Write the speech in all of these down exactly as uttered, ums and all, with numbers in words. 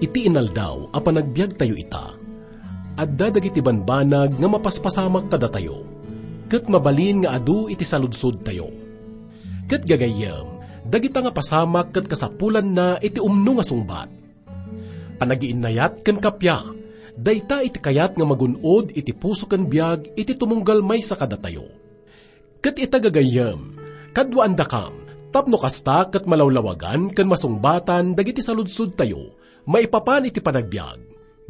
Ti inaldaw a panagbiagtayo ita, adda dagiti banbanag nga mapaspasamak kadatayo, ket mabalin nga adu iti saludsodtayo. Ket gagayyem, dagita nga pasamak ket kasapulanna iti umno nga sungbat. Panagiinnayat ken kappia, dayta iti kayat nga magun-od iti puso ken biag iti tumunggal maysa kadatayo. Ket ita gagayyem, kaduaandakam, tapno kasta ket malawlawagan ken masungbatan dagiti saludsodtayo maipapan iti panagbiag,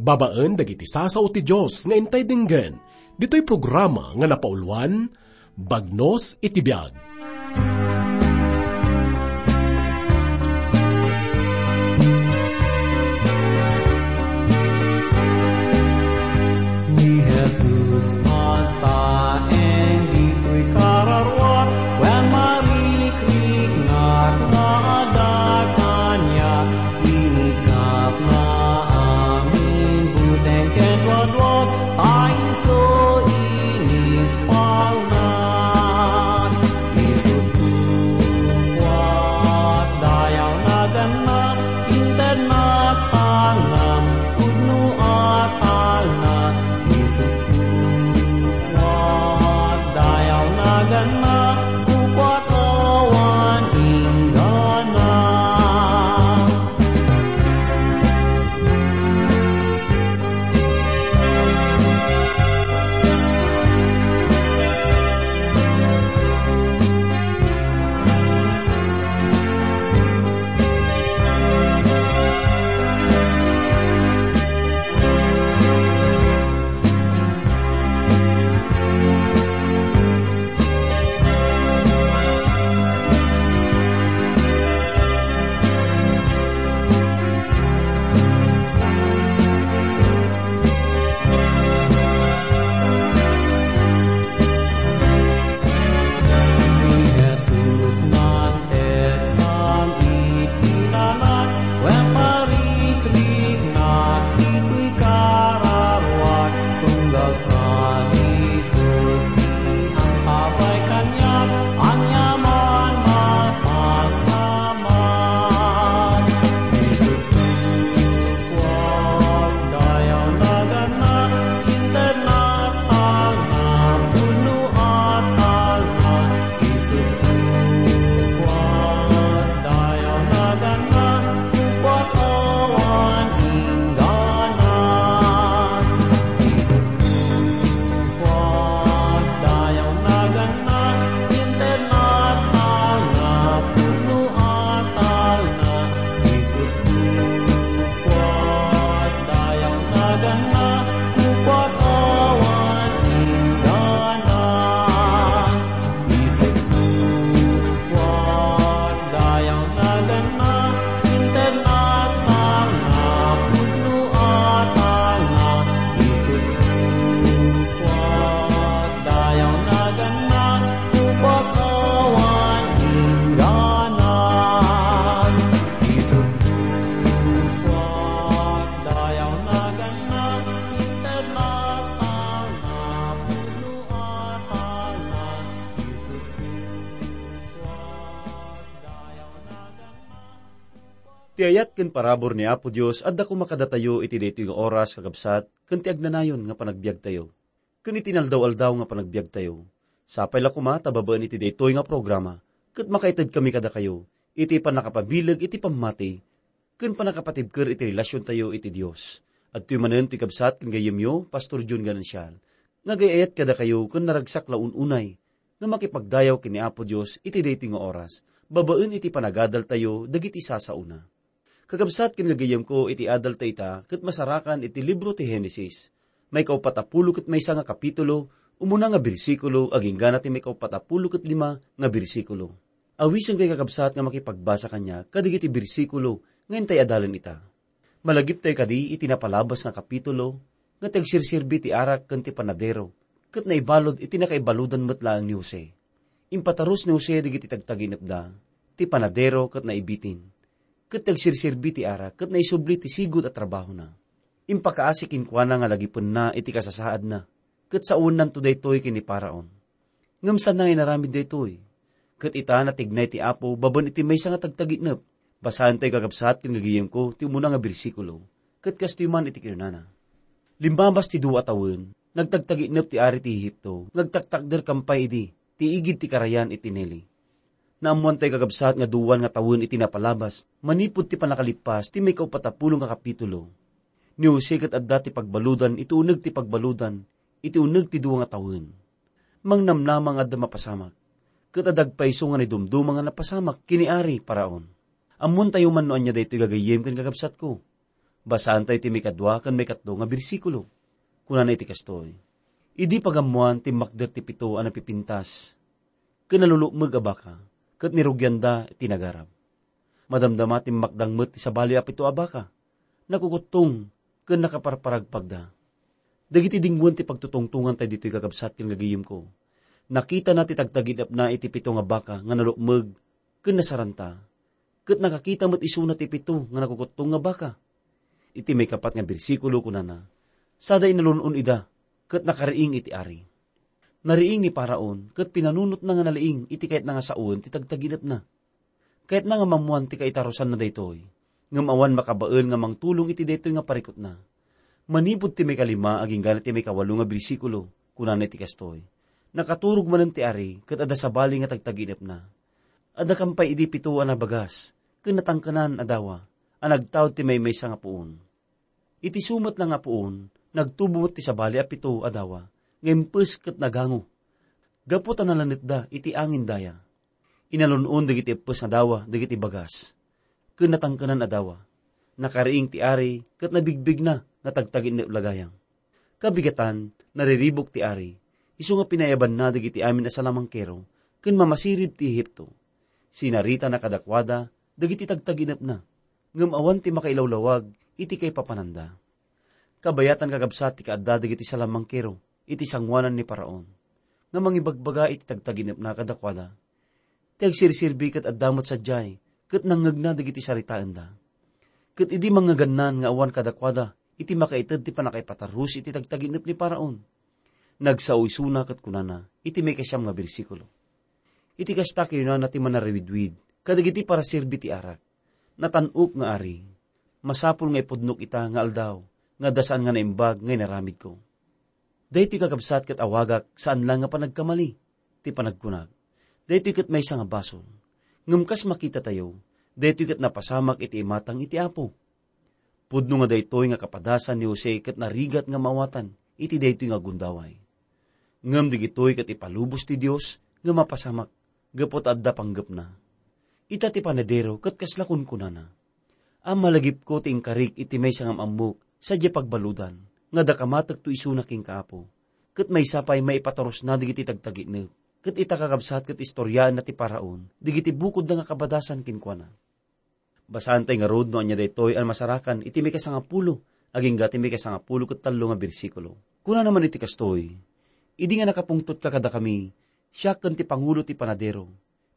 babaen dagiti sasao ti Dios nga intay denggen, ditoy programa nga napauluan, Bagnos iti Biag. Ni Jesus agtaeng ditoy kararuak, wen marikriknak nga adda kaniak, inikapna amin buteng ken duaduak, ta isu inispalna. Isut' kuak, dayaw naganna, intednak talna, pudno a talna, isut' kuak, dayaw naganna, kukuak awan inggana. Ni Jesus nangtegsam iti lalat, wen marikriknak ditoy kararuak, tunggal kadi Dios, iangkabay kaniak, aniaman mapasamak. Isut' kuak, dayaw naganna, intednak talna, pudno a talna, isut' kuak, dayaw naganna, kukuak awan inggana. Isut' kuak, dayaw naganna, intednak talna, pudno a talna, isut' kuak, dayaw naganna, kukuak awan inggana. Isut' kuak, dayaw naganna, intednak talna, pudno a talna, isut' kuak, dayaw naganna, kukuak awan inggana. Isut' kuak, dayaw naganna, intednak talna, pudno a talna, isut' kuak, dayaw naganna. Ti ayat ken parabur ni Apo Dios adda koma kadatayo iti daytoy nga oras, kakabsat, ken ti agnanayon nga panagbiagtayo. Ken iti inaldaw-aldaw nga panagbiagtayo, sapay la koma ta babaen iti daytoy nga programa, ket makaitedkami kadakayo iti pannakapabileg iti pammati ken pannakapatibker iti relasiontayo iti Dios. Adtoy manen ti kabsat ken gayyemyo, Pastor John Ganancial, nga agay-ayat kadakayo ken naragsak la un-unay nga makipagdayaw ken ni Apo Dios iti daytoy nga oras, babaen iti panagadaltayo dagiti sasaona. Kakabsat ken gagayyemko, iti adalta ita ket masarakan iti libro ti Genesis, maikaupat a pulo ket maysa nga kapitulo, umuna nga bersikulo, agingga ti maikaupat a pulo ket lima nga bersikulo. Awisenkayo, kakabsat, nga makipagbasa kaniak kadagiti bersikulo nga intay adalen ita. Malagiptayo kadi iti napalabas nga kapitulo nga ti agsirserbi ti arak ken ti panadero, ket naibalud iti nakaibaludan met laeng ni Jose. Impatarus ni Jose dagiti tagtaginepda, ti panadero ket naibitin, ket ti agsirserbi ti arak ket naisubli ti sigud a trabahona. Impakaasi kenkuana nga lagipenna iti kasasaadna, ket saonnanto daytoy ken ni Faraon. Ngem saanna nga inaramid daytoy. Ket ita, natignay ti Apo babaen iti maysa nga tagtaginep. Basaentayo, kakabsat ken gagayyemko, ti umuna nga bersikulo. Ket kastoy man iti kinunana. Limmabas ti dua a tawen, nagtagtaginep ti ari ti Egipto, nga agtaktakder kam pay idi, ti igid ti karayan iti Nile. Naammoan tayo, kakabsat, nga duan nga tawen iti napalabas, manipud ti pannakalippas ti maikaupat a pulo nga kapitulo. Ni Jose ket adda ti pagbaludan iti uneg ti pagbaludan, iti uneg ti dua nga tawen. Mangnamnama nga adda mapasamak, ket adda agpayso nga naidumduma nga napasamak ken ni Ari Faraon. Ammontayo man no ania daytoy, gagayyem ken kakabsatko. Basaentayo ti maikadua ken maikatlo nga bersikulo. Kunana iti kastoy, "Idi pagammoan, timmakder ti pito a napipintas ken nalulukmeg a baka, ket nirugianda ti nagarab. Madamdama, timmakdang met ti sabali a pito a baka, nakukuttong ken nakaparparagpagda." Dagiti dingwen ti pagtutungtongantayo ditoy, kakabsat ken gagayyemko. Nakitana ti tagtagin-epna iti pito nga baka nga nalukmeg ken nasaranta, ket nakakita met isuna ti pito nga nakukuttong nga baka. Iti maikapat nga bersikulo, kunana, "Sada inalun-on ida, ket nakariing iti ari." Nariing ni Faraon, ket pinanunotna nga naliing iti kayatna nga sawen ti tagtagin-epna. Kayatna nga mammuan ti kaitarusanna daytoy, ngem awan makabael nga mangtulong iti daytoy nga parikutna. Manipud ti maikalima agingga ti maikawalo nga bersikulo, kunana iti kastoy, "Nakaturog manen ti ari, ket adda sabali nga tagtagin-epna. Adda kam pay idi pito a nabagas, ken natangkenan a dawa, a nagtaud ti maymaysa nga puon." Iti sumetna nga puon, nagtubo met ti sabali a pito a dawa, nga impes ket nagango, gapu ta nalanetda iti angin daya. Inalun-on dagiti eppes nga dawa dagiti bagas, ken natangkenan a dawa. Nakariing ti ari, ket nabigbigna nga tagtagin-ep la gayam. Kabigatan, nariribuk ti ari, isu nga pinayabanna dagiti amin a salamangkero ken mamasirib ti Egipto. Sinaritana kadakuada dagiti tagtagin-epna, ngem awan ti makailawlawag iti kaipapananda. Kabayatan, kakabsat, ti kaadda dagiti salamangkero iti sangoanan ni Faraon, nga mangibagbaga iti tagtagin-epna kadakuada. Ti agsirserbi ket adda met sadiay, ket nangngegna dagiti saritaenda. Ket idi mangngegnan nga awan kadakuada iti makaited ti pannakaipatarus iti tagtagin-ep ni Faraon, nagsao isuna ket kunana iti maikasiam nga bersikulo, "Iti kasta, kinunana ti Manarawidwid kadagiti paraserbi ti arak, 'Natan-ok nga ari, masapul nga ipudnok ita nga aldaw nga adda saan nga naimbag nga inaramidko.'" Daytoy, kakabsat, ket awagak saan laeng nga panagkamali ti panagkunak. Daytoy ket maysa nga basol. Ngem kas makitatayo, daytoy ket napasamak iti imatang iti Apo. Pudno nga daytoy nga kapadasan ni Jose ket narigat nga maawatan iti daytoy nga gundaway. Ngem dagitoy ket ipalubos ti Dios nga mapasamak gapu ta adda panggepna. Ita ti panadero ket kasla kunkunana, "Amalagipko ti inkarik iti maysa nga am-ammok sadiay pagbaludan, nga adda kamatekto isuna kenka, Apo, ket maysa pay maipaturosna dagiti tagtagin-ep." Ket ita, kakabsat, ket istoriaenna ti Faraon dagiti bukodda nga kabadasan kenkuana. Basaentayo ngarud no ania daytoy a masarakan iti maikasangapulo agingga ti maikasangapulo ket tallo nga bersikulo. Kunana man iti kastoy, "Idi nga nakapungtotka kadakami, siak ken ti pangulo ti panadero,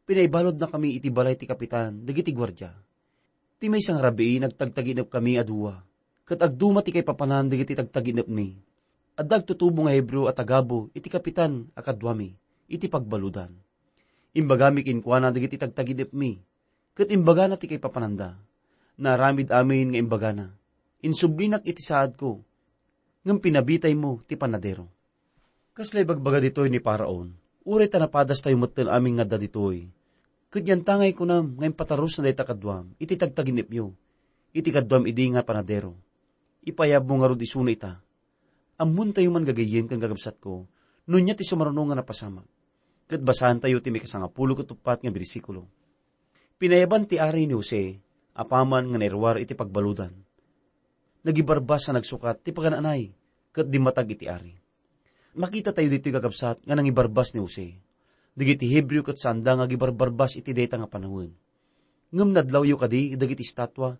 pinaibaludnakami iti balay ti kapitan dagiti guardia. Ti maysa nga rabii, nagtagtagin-epkami a dua, ket agduma ti kaipapanan dagiti tagtagin-epmi. Adda agtutubo nga Hebreo a tagabu iti kapitan a kaduami iti pagbaludan. Imbagami kenkuana dagiti tagtagin-epmi, ket imbagana ti kaipapananda. Naaramid amin nga imbagana. Insublinak iti saadko, ngem pinabitaymo ti panadero." Kasla ibagbaga ditoy ni Faraon, "Uray ta napadastayo metten amin nga adda ditoy, ket yantangay kunam nga impatarusna dayta kaduam iti tagtagin-epyo, iti kaduam idi nga panadero. Ipayabmo ngarud isuna ita." Ammontayo man, gagayyem ken kakabsatko, no ania ti sumaruno nga napasamak. Ket basaentayo ti maikasangapulo ket uppat nga bersikulo. Pinayaban ti ari ni Jose apaman nga nairuar iti pagbaludan. Nagibarbas a nagsukat ti pagan-anay ket dimmatag iti ari. Makitatayo ditoy, kakabsat, nga nangibarbas ni Jose. Dagiti Hebreo ket saanda nga agibarbarbas iti dayta nga panawen. Ngem nadlawyo kadi dagiti estatua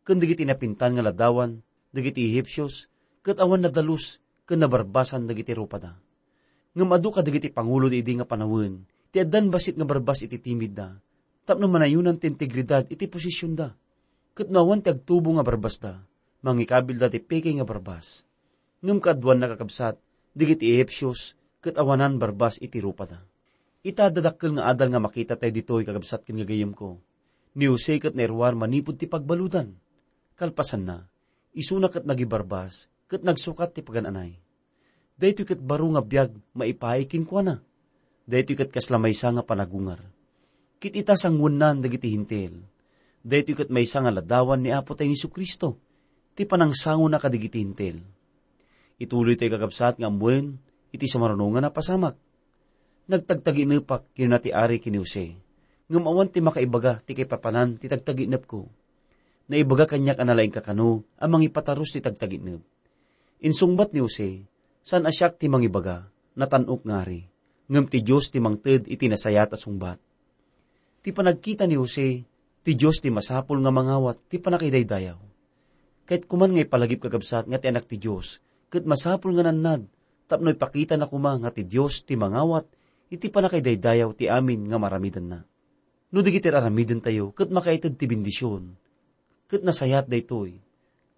ken dagiti napintan nga ladawan dagiti Ehipsios, ket awan nadalus ken nabarbasan dagiti rupada. Ngem adu kadagiti pangulo idi nga panawen ti addan bassit nga barbas iti timidda, tapno manayonan ti integridad iti posisionda. Ket no awan ti agtubo nga barbasda, mangikabilda ti peke nga barbas. Ngem kaaduanna, kakabsat, dagiti Ehipsios ket awanan barbas iti rupada. Ita, adda dakkel nga adal nga makitatayo ditoy, kakabsat ken gagayyemko. Ni Jose ket nairuar manipud ti pagbaludan. Kalpasanna, Isuna ket nagibarbas, ket nagsukat ti pagan-anay. Daytoy ket baro nga biag maipaay kenkuana. Daytoy ket kasla maysa nga panagungar. Ket ita, sanguennan dagiti Hentil. Daytoy ket maysa nga ladawan ni Apo tayo Jesu-Cristo, ti panangsangona kadagiti Hentil. Ituloy tayo, kakabsat, nga ammoen iti sumaruno nga napasamak. "Nagtagtaginepak," kinuna ti ari ken ni Jose, "ngem awan ti makaibaga ti kaipapanan ti tagtaginepko. Naibaga kaniak a nalaingka kano a mangipatarus ti tagtaginep." Insungbat ni Jose, "Saan a siak ti mangibaga, natan-ok nga ari, ngem ti Dios ti mangted iti nasayaat a sungbat." Ti panagkita ni Jose, ti Dios ti masapul nga mangawat ti pannakaidaydayaw. Ket kuman nga ipalagip, kakabsat, nga ti Anak ti Dios ket masapul nga nannad tapno ipakitana koma nga ti Dios ti mangawat iti pannakaidaydayaw ti amin nga maaramidenna. No dagiti aramidentayo ket makaited ti bendision, ket nasayaat daytoy.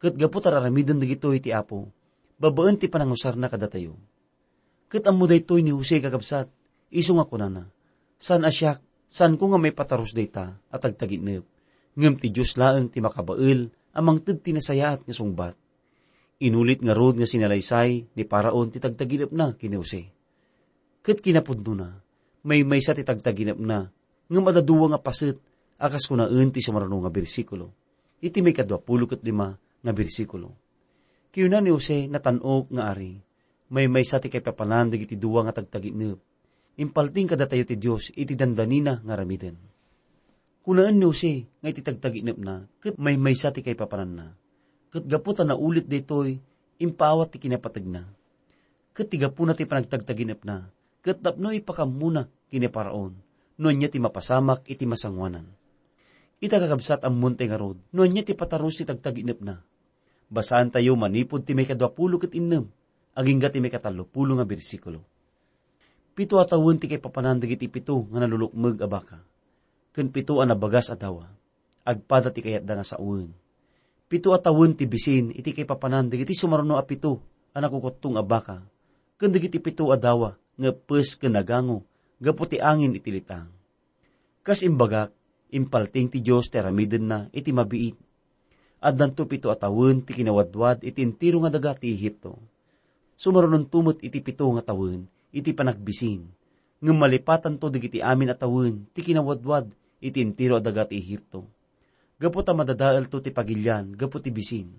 Ket gapu ta aramiden dagitoy ti Apo, babaen ti panangusarna kadatayo. Ket ammo daytoy ni Jose, kakabsat, isu nga kunana, "Saan a siak, saanko nga maipatarus dayta a tagtaginep, ngem ti Dios laeng ti makabael a mangted ti nasayaat nga sungbat." Inulit ngarud nga sinalaysay ni Faraon ti tagtaginepna ken ni Jose. Ket kinapudnona, maymaysa ti tagtaginepna, ngem adda dua nga paset a kas kunaen ti sumaruno nga bersikulo, iti maikadua pulo ket lima nga bersikulo. Kinuna ni Jose, "Natan-ok nga ari, maymaysa ti kaipapanan dagiti dua nga tagtaginep. Impalting kadatayo ti Dios iti dandanina nga aramiden." Kunaen ni Jose nga iti tagtaginepna ket maymaysa ti kaipapananna. Ket gapu ta naulit daytoy, impaawat ti kinapategna. Ket ti gapuna ti panagtagtaginepna, ket tapno ipakammona ken ni Faraon no ania ti mapasamak iti masangoanan. Ita, kakabsat, ammontay ngarud no ania ti patarus ti tagtaginepna. Basaantayo manipud ti maikadua pulo ket innem, agingga ti maikatallo pulo nga bersikulo. Pito a tawen ti kaipapanan dagiti pito nga nalulukmeg a baka, ken pito a nabagas a dawa. Agpada ti kayatda nga sawen. Pito a tawen ti bisin iti kaipapanan dagiti sumaruno a pito a nakukuttong a baka, ken dagiti pito a dawa nga eppes ken nagango gapu ti angin iti litang. Kas imbagak, impalting ti Dios ti aramidenna iti mabiit. Addanto pito a tawen ti kinawadwad iti entero nga daga ti Egipto. Sumarunonto met iti pito nga tawen iti panagbisin, ngem malipatanto dagiti amin a tawen ti kinawadwad iti entero a daga ti Egipto, gapu ta madadaelto ti pagilian gapu ti bisin.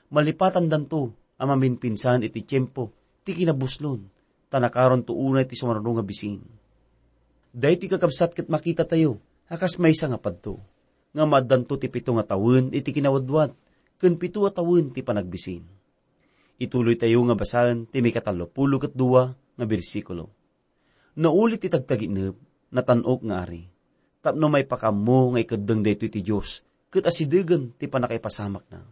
Malipatandanto a maminpinsan iti tiempo ti kinabuslon, ta nakaronto unay ti sumaruno nga bisin. Daytoy, kakabsat, ket makitatayo a kas maysa nga padto, nga maaddanto ti pito nga tawen iti kinawadwad, ken pito a tawen ti panagbisin. Ituloytayo nga basaen ti maikatallo pulo ket dua nga bersikulo. Naulit ti tagtaginep, natan-ok nga ari, tapno maipakammo nga ikeddeng daytoy ti Dios ket asidegen ti pannakaipasamakna.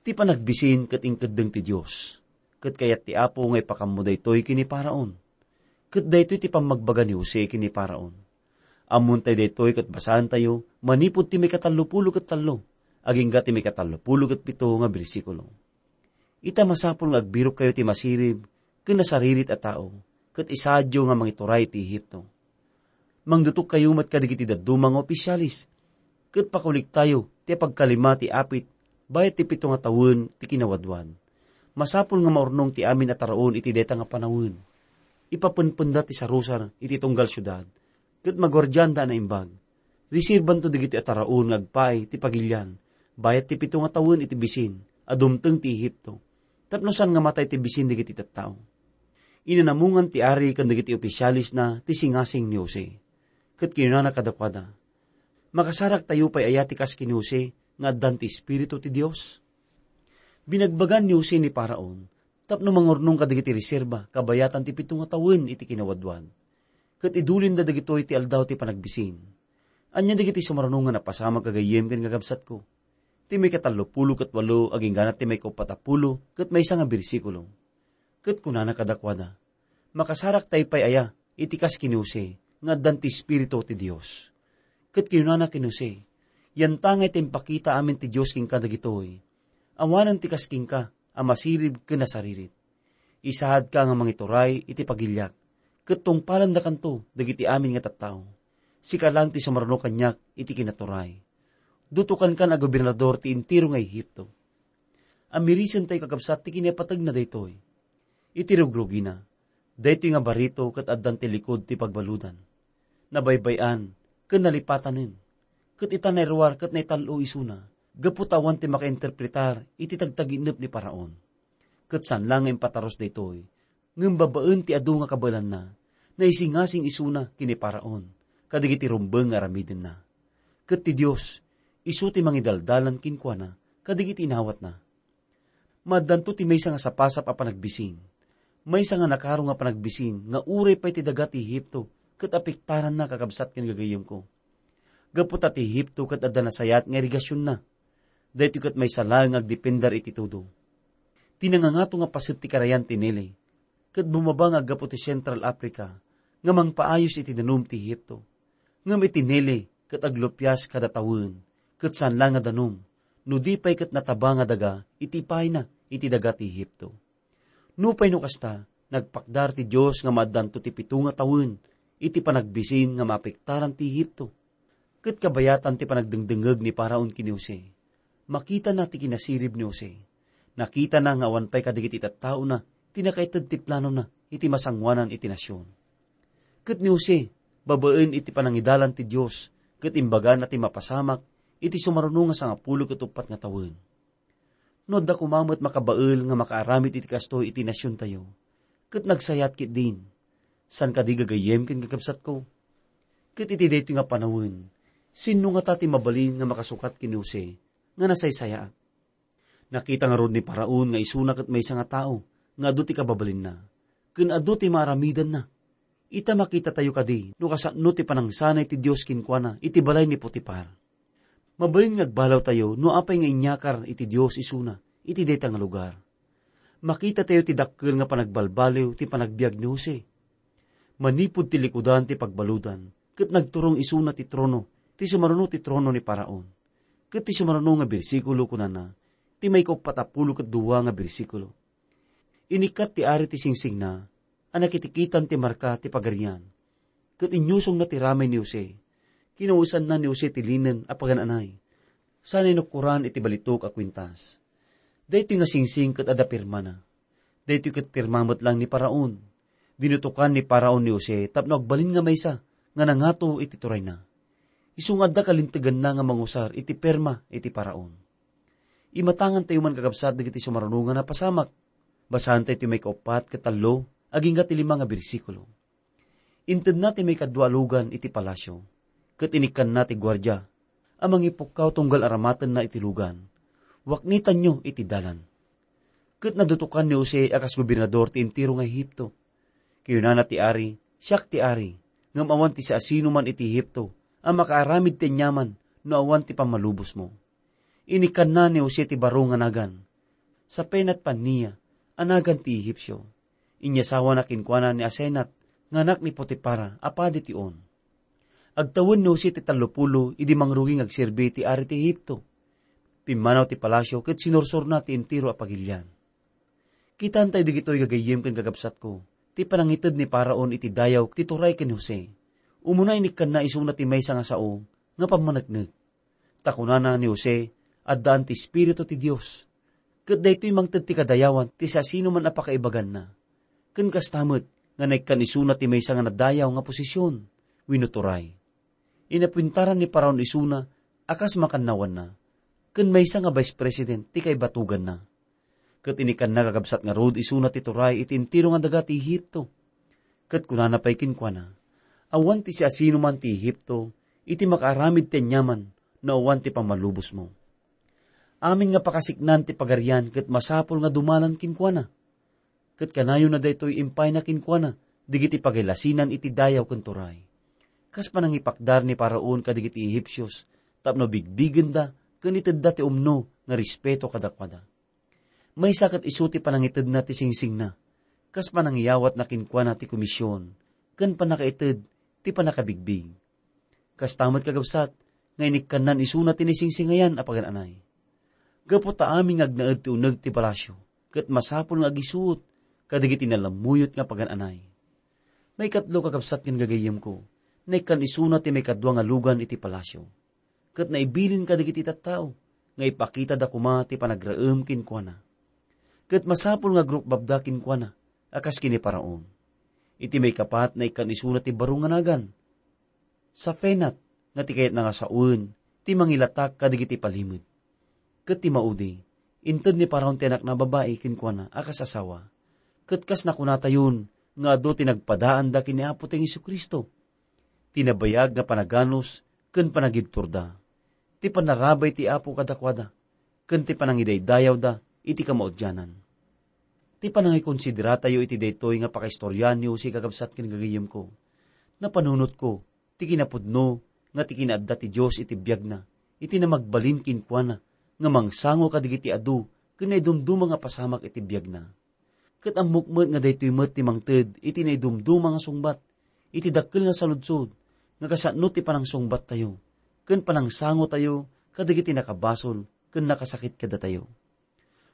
Ti panagbisin ket inkeddeng ti Dios, ket kayat ti Apo nga ipakammo daytoy ken ni Faraon. Ket daytoy ti pammagbaga ni Jose ken ni Faraon. Ammontay daytoy ket basaentayo manipud ti maikatallo pulo ket tallo, agingga ti maikatallo pulo ket pito nga bersikulo. Ita, masapul nga agbirokkayo ti masirib ken nasaririt a tao, ket isaadyo nga mangituray iti Egipto. Mangdutokkayo met kadagiti dadduma nga opisialis, ket pakuliktayo ti pagkalima ti apit bayat ti pito nga tawen ti kinawadwad. Masapul nga maurnong ti amin a taraon iti dayta nga panawen. Ipapenpenda ti sarusar iti tunggal siudad, ket maguardianda a naimbag. Reserbanto dagiti a taraon nga agpaay ti pagilian bayat ti pito nga tawen iti bisin a dumteng ti Egipto, tapno saan nga matay ti bisin dagiti tattao. Inanamungan ti ari ken dagiti opisialisna ti singasing ni Jose, ket kinunana kadakuada, "Makasaraktayo pay aya ti kas ken ni Jose nga addan ti Espiritu ti Dios?" Binagbagan ni Jose ni Faraon tapno mangurnong kadagiti reserba kabayatan ti pito nga tawen iti kinawadwad, ket idulinda dagitoy ti Aldaw ti Panagbisin. Ania dagiti sumaruno nga napasamak, gagayyem ken kakabsatko? Ti maikatallo pulo ket walo agingga ti maikauppat a pulo ket maysa nga bersikulo. Ket kunana kadakuada, "Makasaraktay pay aya iti kas ken ni Jose nga addan ti Espiritu ti Dios?" Ket kinunana ken ni Jose, "Yantangay ti impakita amin ti Dios kenka dagitoy. Awanen ti kas kenka a masirib ken nasaririt. Isaadka nga mangituray iti pagiliak, ket tungpalendakanto dagiti amin nga tattao. Sika laeng ti sumaruno kaniak iti kinaturay. Dutokankan a gobernador ti entero nga Egipto." Amirisentayo, kakabsat, ti kinapategna daytoy. Iti rugrugina, daytoy nga barito ket addan ti likud ti pagbaludan. Nabaybay-an ken nalipatanen. Ket ita nairuar ket naital-o isuna, gapu ta awan ti makainterpretar iti tagtaginnep ni Faraon. Ket saan la nga impatarus daytoy, ngem babaen ti adu nga kabaelanna, naisingasing isuna ken ni Faraon kadagiti rumbeng nga aramidenna. Ket ti Dios, isu ti mangidaldalan kenkuana kadagiti inawatna. Maaddanto ti maysa nga sapasap a panagbising. Maysa nga nakaro nga panagbising nga uray pay ti daga ti Egipto ket apektaranna, kakabsat ken gagayyemko. Gapu ta ti Egipto ket adda nasayaat nga irigasionna. Daytoy ket maysa laeng nga agdepender iti tudo. Ti nangangato nga paset ti karayan ti Nile, ket bumaba nga aggapu ti Central Africa nga mangpaayos iti danum ti Egipto. Ngem iti Nile ket aglupias kada tawen, ket saan la nga danum, no di pay ket nataba nga daga iti ipayna iti daga ti Egipto. Nupay no kasta, nagpakdar ti Dios nga maaddanto ti pito nga tawen iti panagbising nga maapektaran ti Egipto. Ket kabayatan ti panagdengdengngeg ni Faraon ken ni Jose, makitana ti kinasirib ni Jose. Nakitana nga awan pay kadagiti tattaona ti nakaited ti planona iti masangoanan iti nasion. Ket ni Jose, babaen iti panangidalan ti Dios, ket imbagana ti mapasamak iti sumaruno nga sangapulo ket uppat nga tawen. No adda koma met makabael nga makaaramid iti kastoy iti nasiontayo, ket nagsayaat ketdin, saan kadi gagayyem ken kakabsatko? Ket iti daytoy nga panawen, sinno ngata ti mabalin nga makasukat ken ni Jose nga nasaysayaat? Nakita ngarud ni Faraon nga isuna ket maysa nga tao nga adu ti kababalinna, ken adu ti maaramidanna. Ita makitatayo kadi no kasano ti panangsanay ti Dios kenkuana iti balay ni Potifar. Mabalin nga agbalawtayo no apay nga inyakar iti Dios isuna iti dayta nga lugar. Makitatayo ti dakkel nga panagbalbaliw ti panagbiag ni Jose. Manipud ti likudan ti pagbaludan, ket nagturong isuna ti trono ti sumaruno ti trono ni Faraon. Ket ti sumaruno nga bersikulo kunana, ti maikauppat a pulo ket dua nga bersikulo. Inikkat ti ari ti singsingna a nakitikitan ti marka ti pagarian, ket inyusongna ti ramay ni Jose. Kinawisanna ni Jose ti linen a pagan-anay, sa nainukkoran iti balitok a kuintas. Daytoy nga singsing ket adda pirmana. Daytoy ket pirma met lang ni Faraon. Dinutokan ni Faraon ni Jose tapno agbalin nga maysa nga nangato iti turayna. Isu nga adda kalinteganna nga mangusar iti pirma iti Faraon. Imatangantayo man, kakabsat, dagiti sumaruno nga napasamak. Basaentayo ti maikauppat ket tallo agingga ti lima nga bersikulo. Intedna ti maikadua a lugan iti palasio, ket inikkanna ti guardia a mangipukkaw tunggal aramatenna iti lugan. Waknitanyo iti dalan. Ket nadutokan ni Jose a kas gobernador ti entero nga Egipto. Kinunana ti ari, "Siak ti ari, ngem awan ti siasinoman iti Egipto a makaaramid ti aniaman no awan ti pammalubosmo." Inikkanna ni Jose ti baro nga nagan, Sapenat Panea a nagan ti Egipsio. Inyasawana kenkuana ni Asenat nga anak ni Potifar a padi ti On. Agtawen ni Jose ti tallopulo idi mangrugi nga agserbi ti ari ti Egipto. Pimmanaw ti palasio ket sinursorna ti entero a pagilian. Kitaentayo dagitoy, gagayyem ken kakabsatko, ti panangited ni Faraon iti dayaw ti turay ken Jose. Umuna, inikkanna isuna ti maysa nga sao nga pammaneknek. Ta kunana ni Jose, addaan ti Espiritu ti Dios. Ket daytoy mangted ti kadayawan ti siasinoman a pakaibaganna. Ken kasta met nga naikkan isuna ti maysa nga nadayaw nga posisyon wenno turay. Inapuentaran ni Faraon isuna a kas makannawanna, ken maysa nga vice president ti kaibatuganna. Ket inikkanna, kakabsat, ngarud isuna ti turay iti entero nga daga ti Egipto. Ket kunana pay kenkuana, "Awan ti siasinoman ti Egipto iti makaaramid ti aniaman no awan ti pammalubosmo." Amin nga pakasiknaan ti pagarian ket masapul nga dumalan kenkuana. Ket kanayona daytoy impayna kenkuana dagiti pagilasinan iti dayaw ken turay. Kas panangipakdar ni Faraon kadagiti Egipsios tapno bigbigenda ken itedda ti umno nga respeto kadakuada. Maysa ket isu ti panangitedna ti singsingna, kas panangiyawatna kenkuana ti komisyon ken pannakaited ti pannakabigbig. Kasta met, kakabsat, nga inikkannan isuna ti naisingsingayan a pagan-anay. Gapu ta amin nga agnaed ti uneg ti palasio, ket masapul nga agisuot kadagiti nalammuyot nga pagan-anay. Maikatlo, kakabsat ken gagayyemko, naikkan isuna ti maikadua nga lugan iti palasio, ket naibilin kadagiti tattao nga ipakitada koma ti panagraem kenkuana. Ket masapul nga agrukbabda kenkuana a kas ken ni Faraon. Iti maikapat, naikkan isuna ti baro nga nagan. Safenat nga ti kayatna nga sawen ti mangilatak kadagiti palimed. Ket ti maudi, inted ni Faraon ti anakna a babai kenkuana a kas asawa. Ket kas nakunatayon nga adu ti nagpadaanda ken ni Apotayo Jesu-Cristo, ti nabayag nga panaganus ken panagibturda. Ti pannarabay ti Apo kadakuada, ken ti panangidaydayawda iti kamaudianan. Ti panangikonsideratayo iti daytoy nga pakaistoriaan ni Jose, kakabsat ken gagayyemko, napanunotko ti kinapudno nga ti kinaadda ti Dios iti biagna, iti namagbalin kenkuana nga mangsango kadagiti adu ken naidumduma nga pasamak iti biagna. Ket ammok met nga daytoy met ti mangted iti naidumduma nga sungbat iti dakkel nga saludsod nga kasano ti panangsungbattayo ken panangsangotayo kadagiti nakabasol ken nakasakit kadatayo.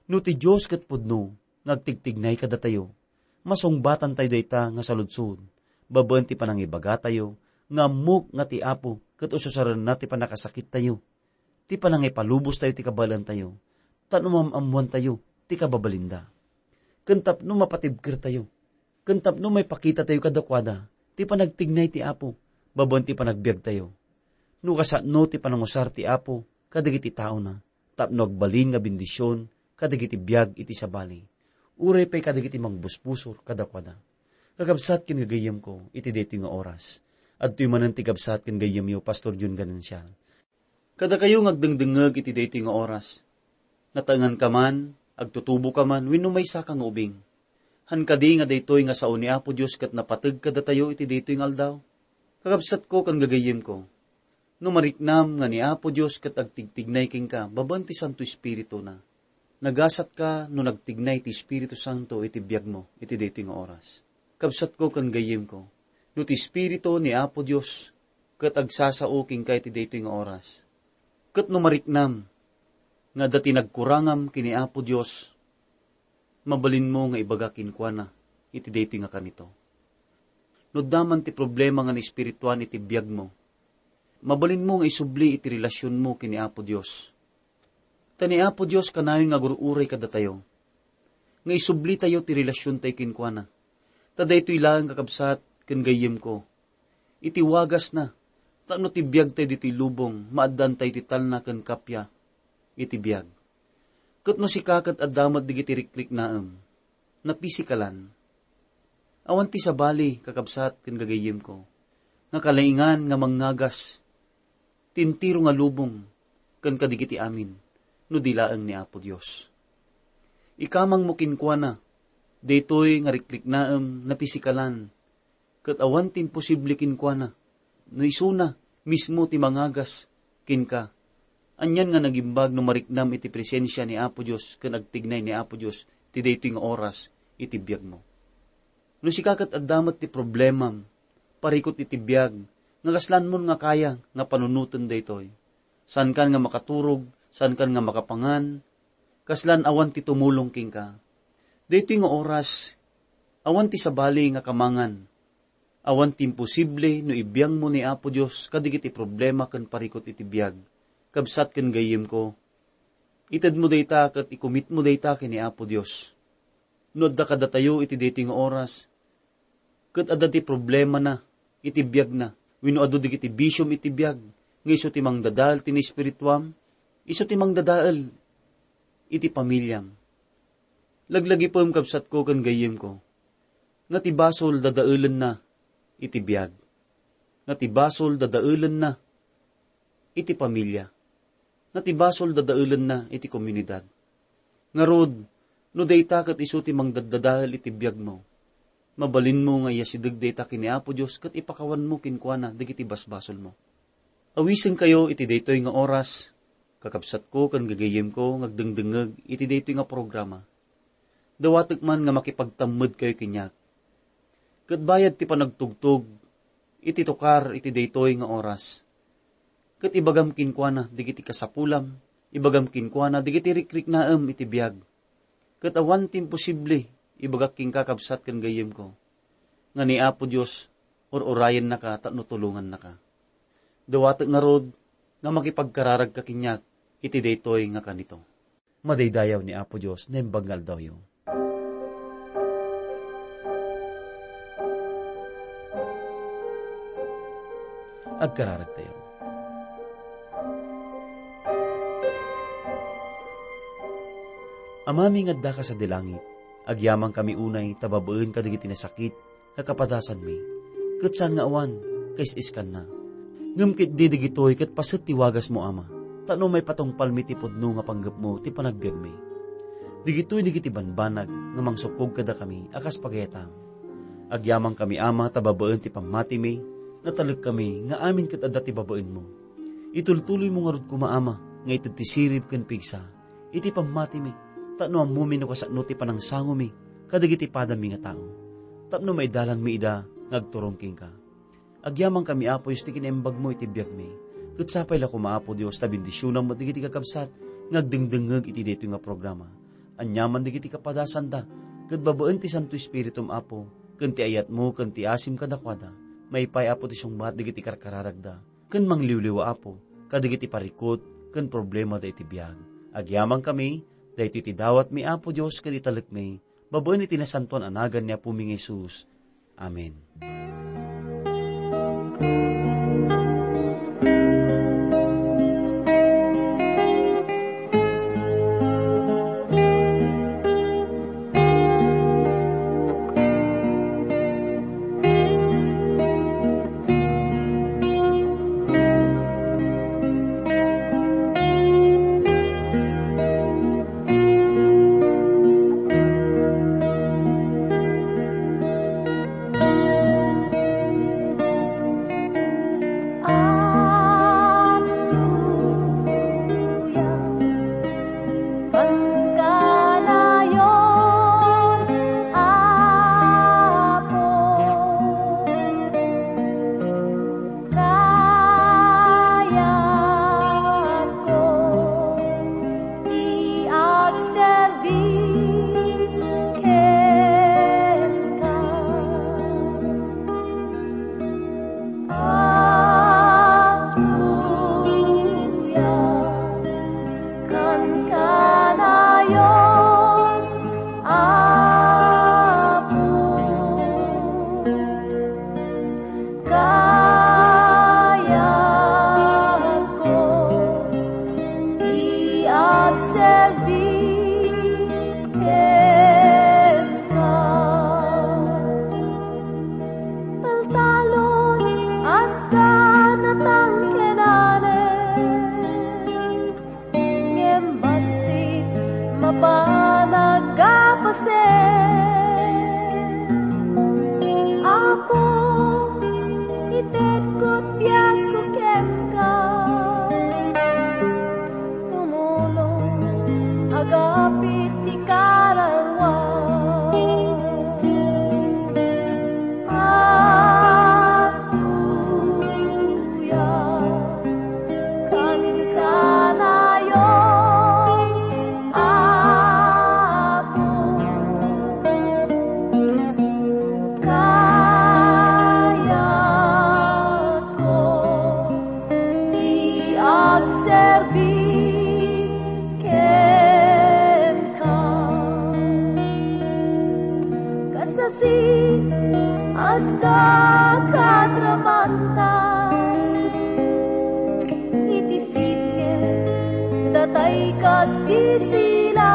No ti Dios ket pudno nga agtigtignay kadatayo, masungbatantayo dayta nga saludsod babaen ti panangibagatayo nga ammok nga ti Apo ket ususarenna ti pannakasakittayo, ti panangipalubostayo ti kabaelantayo, tapno maam-ammoantayo ti kababalinda. Ken tapno mapatibkertayo, ken tapno maipakitatayo kadakuada ti panagtignay ti Apo babaen ti panagbiagtayo. No kasano ti panangusar ti Apo kadagiti taona, tapno agbalin nga bendision kadagiti biag iti sabali, uray pay kadagiti mangbusbusor kadakuada. Kakabsat ken gagayyemko, iti daytoy nga oras, adtoy manen ti kabsat ken gayyemyo, Pastor Jun Ganancial. Kadakayo nga agdengdengngeg iti daytoy nga oras, nataenganka man, agtutuboka man, wenno maysaka nga ubing. Han kadi nga daytoy nga sao ni Apo Dios ket napateg kadatayo iti daytoy nga aldaw? Kakabsatko ken gagayyemko, no mariknam nga ni Apo Dios ket agtigtignay kenka babaen ti Santo Espirituna, nagasatka no nagtignay ti Espiritu Santo iti biagmo iti daytoy nga oras. Kabsatko ken gayyemko, no ti Espiritu ni Apo Dios ket agsasao kenka iti daytoy nga oras, ket no mariknam nga adda ti nagkurangam ken ni Apo Dios, mabalinmo nga ibaga kenkuana iti daytoy nga kanito. No adda man ti problema nga naespirituan iti biagmo, mabalinmo nga isubli iti relasionmo ken ni Apo Dios. Ta ni Apo Dios kanayon nga agur-uray kadatayo, nga isublitayo ti relasiontayo kenkuana. Ta daytoy laeng, kakabsat ken gayyemko, iti wagasna, tapno ti biagtayo ditoy lubong, maaddaantayo ti talna ken kappia iti biag. Ket no sika ket adda met dagiti rikriknaem, napisikalan, awan ti sabali, kakabsat ken gagayyemko, nga kalaingan nga mangngagas ti entero nga lubong ken kadagiti amin no di laeng ni Apo Dios. Ikamangmo kenkuana daytoy nga rikriknaem napisikalan, ket awan ti imposible kenkuana no isuna mismo ti mangagas kenka. Anian nga nagimbag no mariknam iti presensia ni Apo Dios ken agtignay ni Apo Dios ti daytoy nga oras iti biagmo. No sika ket adda met ti problemam, parikut iti biag, nga kaslanmon nga kaya nga panunoten daytoy. Saankan nga makaturog, saankan nga makapangan, kaslan awan ti tumulong kenka. Daytoy nga oras, awan ti sabali nga kamangan. Awan ti imposible no ibiangmo ni Apo Dios kadagiti problema ken parikut iti biag. Kabsat ken gayyemko, itedmo dayta ket ikumitmo dayta ken ni Apo Dios. No adda kadatayo iti daytoy nga oras, ket adda ti problemana iti biagna, wenno adu dagiti bisiom iti biag, nga isu ti mangdadael ti naespirituam, isu ti mangdadael iti pamiliam. Laglagipem, kabsatko ken gayyemko, nga ti basol dadaelenna iti biag. Nga ti basol dadaelenna iti pamilia. Nga ti basol dadaelenna iti komunidad. Ngarud, no dayta ket isu ti mangdaddadael iti biagmo, mabalinmo nga iyasideg dayta ken ni Apo Dios ket ipakawanmo kenkuana dagiti basbasolmo. Awisenkayo iti daytoy nga oras, kakabsatko ken gagayyemko nga agdengdengngeg iti daytoy nga programa. Dawatek man nga makipagtammedkayo kaniak. Ket bayad ti panagtugtog iti tukar iti daytoy nga oras, ket ibagam kenkuana dagiti kasapulam, ibagam kenkuana dagiti rikriknaem iti biag. Ket awan ti imposible, ibagak kenka, kabsat ken gayyemko, nga ni Apo Dios ur-urayennaka tapno tulongannaka. Dawatek ngarud nga makipagkararagka kaniak iti daytoy nga kanito. Madaydayaw ni Apo Dios naimbag nga aldawyo. Agkararagtayo. Amami nga addaka sadi langit, agyamankami unay ta babaen kadagiti nasakit nga kapadasanmi, ket saan nga awan, kaisiskanna. Ngem ketdi dagitoy ket paset ti wagasmo, Ama, tapno maipatungpalmi ti pudno nga panggepmo ti panagbiagmi. Dagitoy dagiti banbanag nga mangsukkog kadakami a kas pagayatam. Agyamankami, Ama, ta babaen ti pammatimi, natalekkami nga amin ket adda ti babaenmo. Itultuloymo ngarud koma, Ama, nga ited ti sirib ken pigsa iti pammatimi, tapno ammomi no kasano ti panangsangomi kadagiti padami nga tao, tapno maidalangmi ida nga agturong kenka. Agyamankami, Apo Dios, ti kinaimbagmo iti biagmi. Ket sapay la koma, Apo Dios, ta bendisionam met dagiti kakabsat nga agdengdengngeg iti daytoy nga programa. Aniaman dagiti kapadasanda, ket babaen ti Santo Espiritum, Apo, ken ti ayatmo, ken ti asim kadakuada, maipay, Apo, ti sungbat dagiti karkararagda, ken mangliwliwa, Apo, kadagiti parikut ken problemada iti biag. Agyamankami, daytoy ti dawatmi, Apo Dios, ken italekmi, babaen iti nasantoan a nagan ni Apomi nga Jesus. Amen. Agtuyam ken kanayon, Apo. Kayatko ti agserbi kenka. Agtuyam ken kanayon, Apo. Kayatko ti agserbi kenka. Taltalon, adda natangkenanen. Ngem bassit mapan aggapasen. Apo, itedko ti biagko kenka. Tumulong, agapit ti kararua. Agtuyam ken kanayon, Apo. Kayatko ti agserbi kenka. Kasasi, adda kadramanta iti sitge, datay ket ti sila.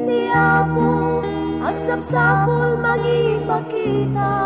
Ti Apo agsapsapul mangipakita.